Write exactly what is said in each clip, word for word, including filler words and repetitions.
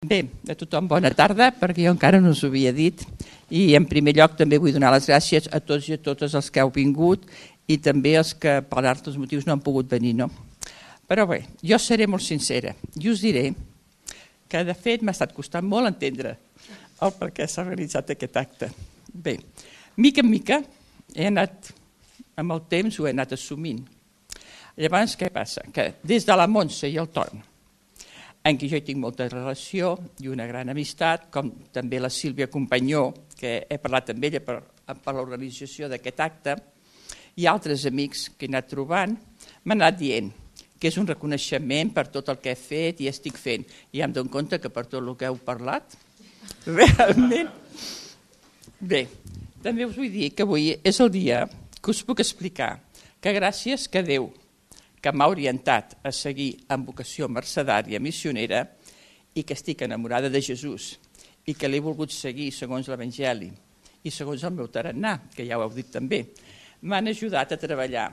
Bé, a tothom bona tarda, perquè jo encara no us ho havia dit, i en primer lloc també vull donar les gràcies a tots i a totes els que heu vingut i també els que per altres motius no han pogut venir, no? Però bé, jo seré molt sincera i us diré que de fet m'ha estat costant molt entendre el per què s'ha realitzat aquest acte. Bé, mica en mica he anat, amb el temps ho he anat assumint. Llavors què passa? Que des de la Montse i el Ton, en què jo hi tinc molta relació i una gran amistat, com també la Sílvia Companyó, que he parlat amb ella per, per l'organització d'aquest acte, i altres amics que he anat trobant, m'han anat dient que és un reconeixement per tot el que he fet i estic fent. I em dono compte que per tot el que heu parlat, realment... Bé, també us vull dir que avui és el dia que us puc explicar que gràcies que Déu, que m'ha orientat a seguir amb vocació mercedària missionera i que estic enamorada de Jesús i que l'he volgut seguir segons l'Evangeli i segons el meu tarannà, que ja ho heu dit també, m'han ajudat a treballar,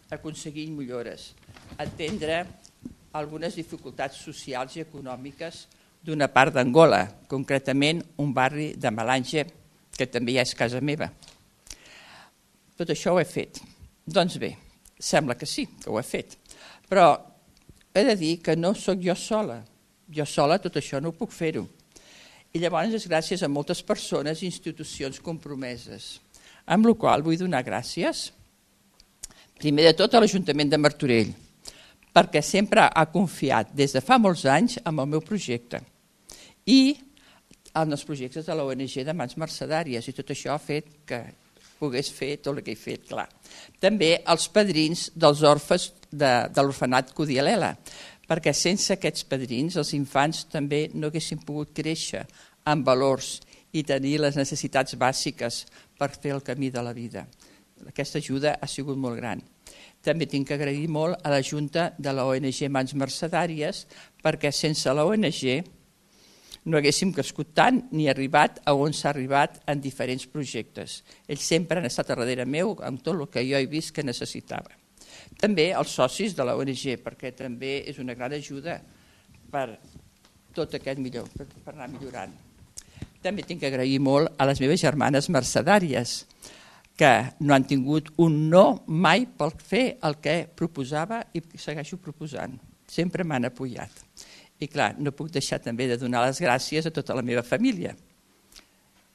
a aconseguir millores, a atendre algunes dificultats socials i econòmiques d'una part d'Angola, concretament un barri de Malanje, que també ja és casa meva. Tot això ho he fet. Doncs bé, sembla que sí, que ho he fet. Però he de dir que no sóc jo sola. Jo sola tot això no ho puc fer-ho. I llavors és gràcies a moltes persones i institucions compromeses. Amb la qual vull donar gràcies, primer de tot a l'Ajuntament de Martorell, perquè sempre ha confiat des de fa molts anys en el meu projecte i en els projectes de l'O N G de Mans Mercedàries, i tot això ha fet que pogués fer tot el que he fet, clar. També els padrins dels orfes de, de l'orfenat Codialela, perquè sense aquests padrins els infants també no haguessin pogut créixer amb valors i tenir les necessitats bàsiques per fer el camí de la vida. Aquesta ajuda ha sigut molt gran. També tinc que agrair molt a la Junta de la O N G Mans Mercedàries, perquè sense la O N G no haguéssim crescut tant ni arribat a on s'ha arribat en diferents projectes. Ells sempre han estat a darrere meu amb tot el que jo he vist que necessitava. També els socis de la O N G, perquè també és una gran ajuda per tot aquest millor, per anar millorant. També tinc que agrair molt a les meves germanes mercedàries, que no han tingut un no mai per fer el que proposava i segueixo proposant. Sempre m'han apoyat. I clar, no puc deixar també de donar les gràcies a tota la meva família,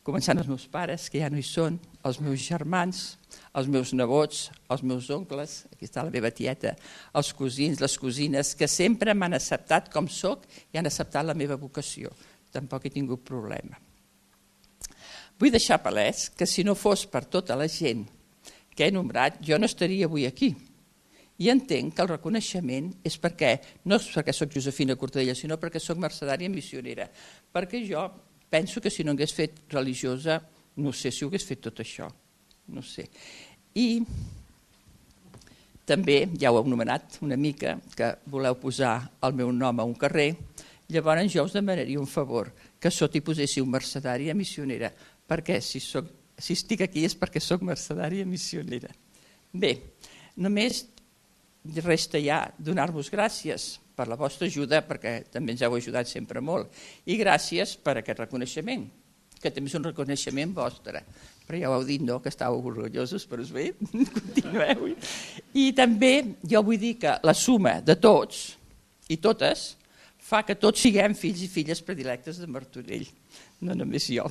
començant els meus pares, que ja no hi són, els meus germans, els meus nebots, els meus oncles, aquí està la meva tieta, els cosins, les cosines, que sempre m'han acceptat com soc i han acceptat la meva vocació. Tampoc he tingut problema. Vull deixar palès que si no fos per tota la gent que he nombrat, jo no estaria avui aquí. I entenc que el reconeixement és perquè, no és perquè soc Josefina Cortadella, sinó perquè soc mercedària missionera. Perquè jo penso que si no hagués fet religiosa, no sé si ho hagués fet tot això. No sé. I també, ja ho heu anomenat una mica, que voleu posar el meu nom a un carrer, llavors jo us demanaria un favor, que sota hi poséssiu mercedària missionera, perquè si, soc, si estic aquí és perquè soc mercedària missionera. Bé, només resta ja donar-vos gràcies per la vostra ajuda, perquè també ens heu ajudat sempre molt, i gràcies per aquest reconeixement, que també és un reconeixement vostre. Però ja ho heu dit, no?, que estàveu orgullosos, però és bé, continueu. I també jo vull dir que la suma de tots i totes fa que tots siguem fills i filles predilectes de Martorell, no només jo.